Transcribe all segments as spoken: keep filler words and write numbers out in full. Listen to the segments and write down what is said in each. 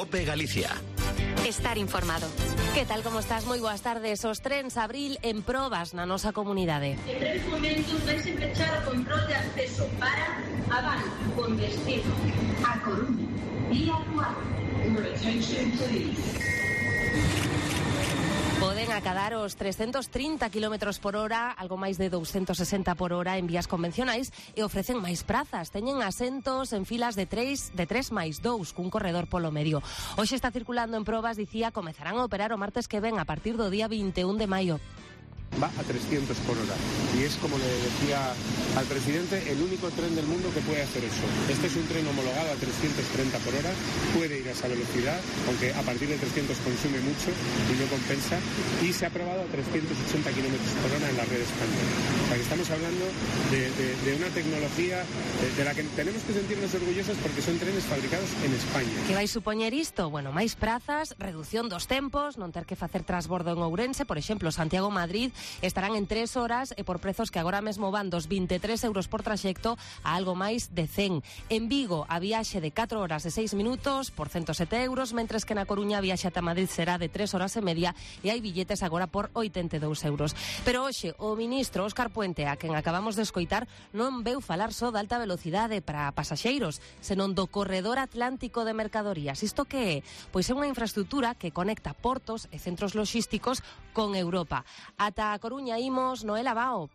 COPE Galicia. Estar informado. Que tal, como estás? Moi boas tardes. Os trens abril en probas na nosa comunidade. En breves momentos vais empezar o control de acceso para Abán con destino a Coruña e a Luar. Poden acadar os trescentos trinta kilómetros por hora, algo máis de douscentos sesenta por hora en vías convencionais, e ofrecen máis prazas. Teñen asentos en filas de tres, de tres máis dous, cun corredor polo medio. Hoxe está circulando en probas, dicía, comezarán a operar o martes que ven a partir do día vinte e un de maio. Va a trescientos por hora y es, como le decía al presidente, el único tren del mundo que puede hacer eso. Este es un tren homologado a trescientos treinta por hora, puede ir a esa velocidad, aunque a partir de trescientos consume mucho y no compensa, y se ha probado a trescientos ochenta kilómetros por hora en la red española. O sea que estamos hablando de, de, de una tecnología de, de la que tenemos que sentirnos orgullosos porque son trenes fabricados en España. Que vai supoñer isto? Bueno, máis prazas, reducción dos tempos, non ter que facer transbordo en Ourense, por exemplo, Santiago-Madrid, estarán en tres horas e por prezos que agora mesmo van dos vinte e tres euros por traxecto a algo máis de cen. En Vigo, a viaxe de catro horas e seis minutos por ciento sete euros, mentres que na Coruña a viaxe ata Madrid será de tres horas e media e hai billetes agora por oitenta e dous euros. Pero hoxe, o ministro Óscar Puente, a quen acabamos de escoitar, non veu falar só de alta velocidade para pasaxeiros, senón do corredor atlántico de mercadorías. Isto que é? Pois é unha infraestructura que conecta portos e centros logísticos con Europa. Ata a Coruña imos, Noela Bao.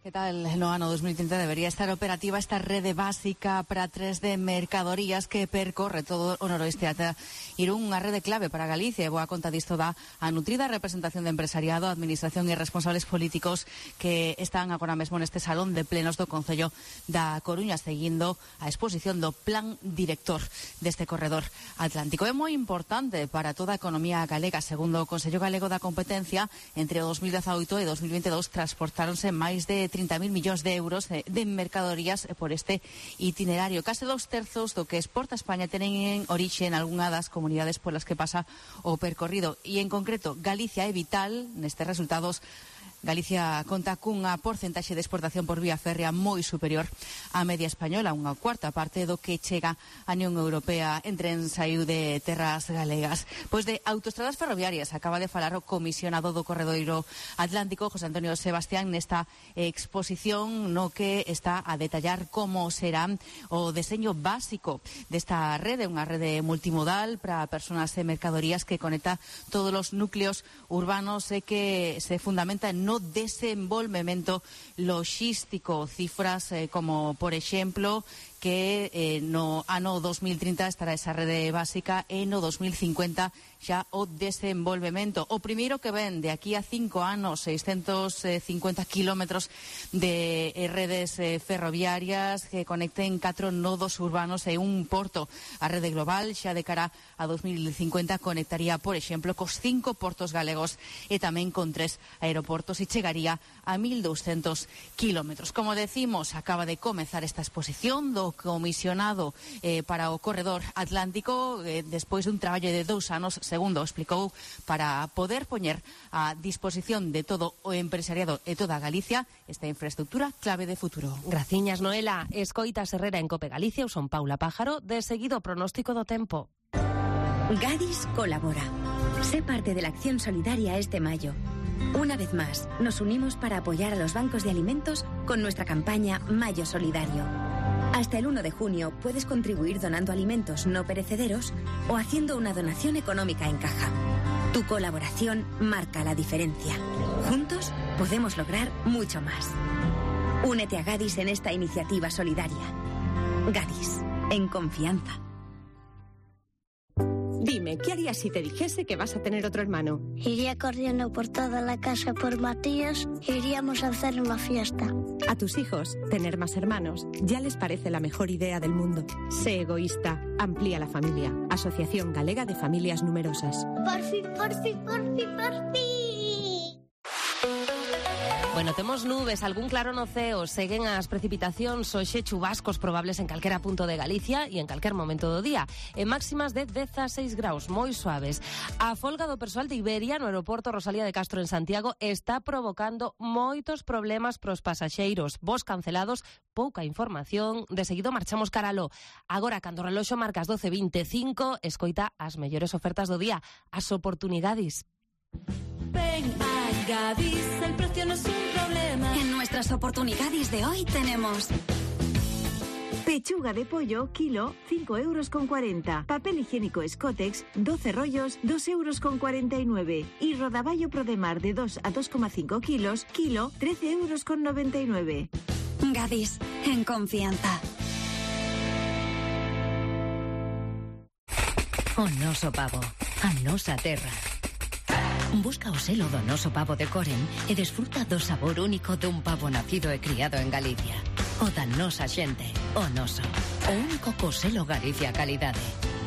¿Qué tal? No ano dos mil trinta debería estar operativa esta rede básica para tres de mercadorías que percorre todo o noroeste ata Irún, unha rede clave para Galicia. E boa conta disto da a nutrida representación de empresariado, administración e responsables políticos que están agora mesmo neste salón de plenos do Concello da Coruña, seguindo a exposición do plan director deste corredor atlántico. É moi importante para toda a economía galega. Segundo o Consello Galego da Competencia, entre o dos mil dezaoito e dos mil vinte e dous transportáronse máis de trinta mil millóns de euros de, de mercadorías por este itinerario. Case dos terzos do que exporta España tenen en orixe en algunha das comunidades polas que pasa o percorrido. E en concreto, Galicia é vital nestes resultados. Galicia conta cunha porcentaxe de exportación por vía férrea moi superior á media española, unha cuarta parte do que chega a Unión Europea en tren saiu de terras galegas. Pois de autoestradas ferroviarias acaba de falar o comisionado do Corredoiro Atlántico, José Antonio Sebastián, nesta exposición no que está a detallar como será o deseño básico desta rede, unha rede multimodal para persoas e mercadorías que conecta todos os núcleos urbanos e que se fundamenta no desenvolvemento logístico. Cifras eh, como, por exemplo, que eh, no ano dos mil trinta estará esa rede básica e no dos mil cincuenta xa o desenvolvemento. O primeiro que ven de aquí a cinco anos, seiscentos cincuenta kilómetros de eh, redes eh, ferroviarias que conecten catro nodos urbanos e un porto. A rede global xa de cara a dos mil cincuenta conectaría, por exemplo, cos cinco portos galegos e tamén con tres aeroportos e chegaría a mil douscentos kilómetros. Como decimos, acaba de comezar esta exposición do comisionado eh, para o corredor atlántico eh, despois dun traballo de dous anos, segundo explicou, para poder poñer a disposición de todo o empresariado e toda Galicia esta infraestructura clave de futuro. Graciñas, Noela. Escoitas Herrera en Cope Galicia, eu son Paula Pájaro, de seguido pronóstico do tempo. Gadis colabora. Sé parte de la acción solidaria este mayo. Una vez más, nos unimos para apoyar a los bancos de alimentos con nuestra campaña Mayo Solidario. Hasta el uno de junio puedes contribuir donando alimentos no perecederos o haciendo una donación económica en caja. Tu colaboración marca la diferencia. Juntos podemos lograr mucho más. Únete a Gadis en esta iniciativa solidaria. Gadis, en confianza. Dime, ¿qué harías si te dijese que vas a tener otro hermano? Iría corriendo por toda la casa por Matías e iríamos a hacer una fiesta. A tus hijos, tener más hermanos ya les parece la mejor idea del mundo. Sé egoísta, amplía la familia. Asociación Galega de Familias Numerosas. Por fin, por fin, por fin, por fin. Bueno, temos nubes, algún claro no ceo, seguen as precipitacións, hoxe chubascos probables en calquera punto de Galicia e en calquer momento do día. En máximas de dezaseis graus, moi suaves. A folga do persoal de Iberia no aeroporto Rosalía de Castro en Santiago está provocando moitos problemas pros pasaxeiros. Voos cancelados, pouca información, de seguido marchamos caralo. Agora, cando o reloxo marca as doce e veinticinco, escoita as mellores ofertas do día, as oportunidades. Ven a Gadis, el precio no es un problema. En nuestras oportunidades de hoy tenemos pechuga de pollo, kilo, cinco euros con cuarenta. Papel higiénico Scotex, doce rollos, dos euros con cuarenta y nueve. Y rodaballo Prodemar de dos a dos coma cinco kilos, kilo, trece euros con noventa y nueve. Gadis, en confianza. O noso pavo, a nosa terra. Busca o selo do noso pavo de Coren e desfruta do sabor único dun pavo nacido e criado en Galicia. O da nosa xente, o noso. O único co selo Galicia Calidade.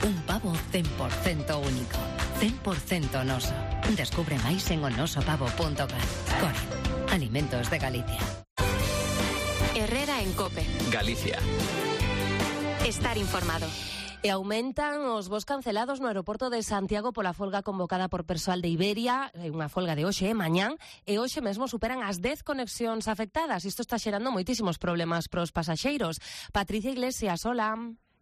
Un pavo cen por cento único, cen por cento noso. Descubre máis en onosopavo punto cat. Coren, alimentos de Galicia. Herrera en COPE. Galicia. Estar informado. E aumentan os voos cancelados no aeroporto de Santiago pola folga convocada por persoal de Iberia, unha folga de hoxe e mañán, e hoxe mesmo superan as dez conexións afectadas. Isto está xerando moitísimos problemas pros pasaxeiros. Patricia Iglesias, hola.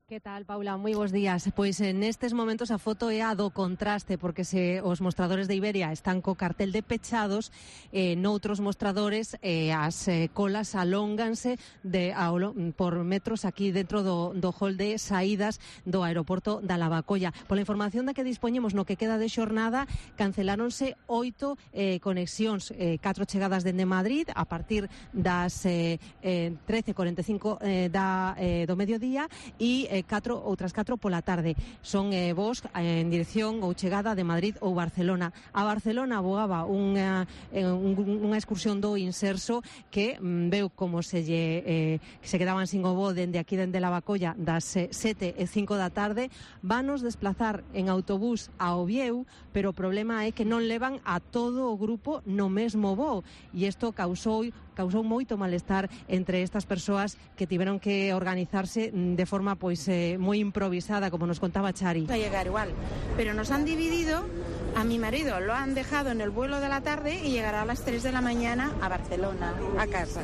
Que tal, Paula? Moi bons días. Pois en estes momentos a foto é a do contraste, porque se os mostradores de Iberia están co cartel de pechados, eh, noutros mostradores eh, as eh, colas alónganse de, a, por metros aquí dentro do, do hall de saídas do aeroporto da Lavacolla. Pola información da que dispoñemos no que queda de xornada, canceláronse oito eh, conexións, eh, catro chegadas dende Madrid a partir das eh, eh, trece e cuarenta e cinco eh, da, eh, do mediodía e eh, catro, outras catro pola tarde. Son eh, voos eh, en dirección ou chegada de Madrid ou Barcelona. A Barcelona voaba unha, eh, un, unha excursión do Inserso que mm, veu como se lle eh, se quedaban sin o voo dende aquí dende Lavacolla das eh, sete e cinco da tarde. Vanos desplazar en autobús a Ovieu, pero o problema é que non levan a todo o grupo no mesmo voo e isto causou causou moito malestar entre estas persoas que tiveron que organizarse de forma pois eh, moi improvisada, como nos contaba Chari. Va a llegar igual, pero nos han dividido, a mi marido lo han dejado en el vuelo de la tarde y llegará a las tres de la mañana a Barcelona, a casa.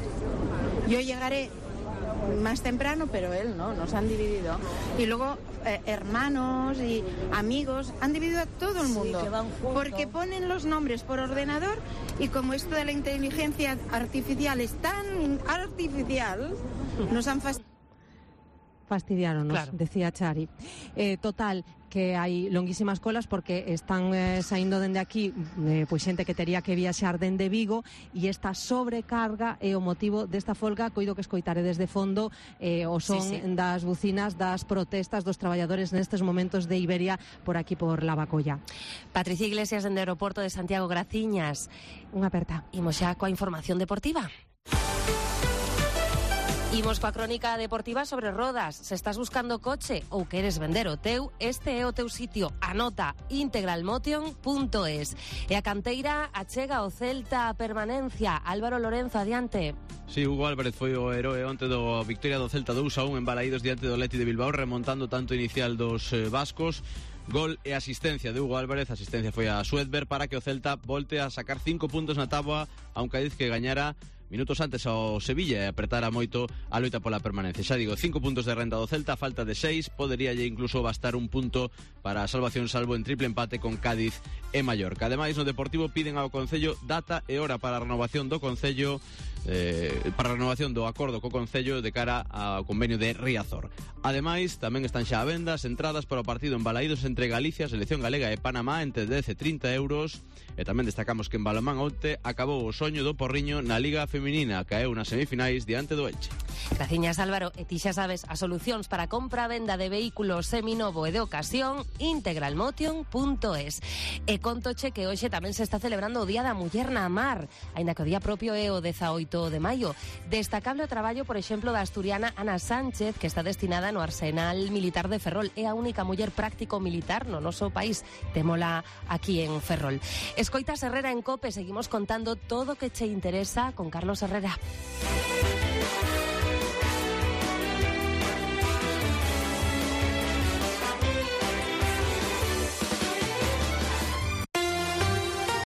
Yo llegaré más temprano, pero él no, nos han dividido. Y luego eh, hermanos y amigos, han dividido a todo el mundo, sí, porque ponen los nombres por ordenador y como esto de la inteligencia artificial es tan artificial, nos han fastidiado. Fastidiáronos, claro. Decía Chari. Eh, total, que hai longuísimas colas porque están eh, saindo dende aquí eh, pois xente que tería que viaxar dende Vigo e esta sobrecarga é o motivo desta folga. Coido que escoitare desde fondo eh, o son sí, sí. das bucinas das protestas dos traballadores nestes momentos de Iberia por aquí por Lavacolla. Patricia Iglesias dende o aeroporto de Santiago, graciñas. Unha aperta. Imos xa coa información deportiva. Imos coa crónica deportiva sobre rodas. Se estás buscando coche ou queres vender o teu, este é o teu sitio. Anota integralmotion punto es. E a canteira achega o Celta a permanencia. Álvaro Lorenzo, adiante. Sí, Hugo Álvarez foi o heroe onte do victoria do Celta dous a un en Balaídos diante do Athletic de Bilbao, remontando tanto inicial dos eh, vascos. Gol e asistencia de Hugo Álvarez. Asistencia foi a Suedberg para que o Celta volte a sacar cinco puntos na táboa a un Cádiz que gañara minutos antes ao Sevilla e apretara moito a loita pola permanencia. Xa digo, cinco puntos de renta do Celta, falta de seis, poderíalle incluso bastar un punto para a salvación, salvo en triple empate con Cádiz e Mallorca. Ademais, no Deportivo piden ao Concello data e hora para a renovación do Concello eh, para a renovación do acordo co Concello de cara ao convenio de Riazor. Ademais, tamén están xa a venda as entradas para o partido en Balaídos entre Galicia, Selección Galega e Panamá entre dez e trinta euros. E tamén destacamos que en balonmán onte acabou o soño do Porriño na Liga Feminina, caeu nas semifinais diante do Elche. Graciñas, Álvaro. E ti xa sabes, as solucións para compra e venda de vehículos seminovo e de ocasión, integralmotion punto es. E contoche que hoxe tamén se está celebrando o Día da Muller na Mar, aínda que o día propio é o dezaoito de maio. Destacable o traballo, por exemplo, da asturiana Ana Sánchez, que está destinada no Arsenal Militar de Ferrol. É a única muller práctico militar no noso país. Témola aquí en Ferrol. Escoitas Herrera en COPE, seguimos contando todo o que che interesa con Carlos Herrera.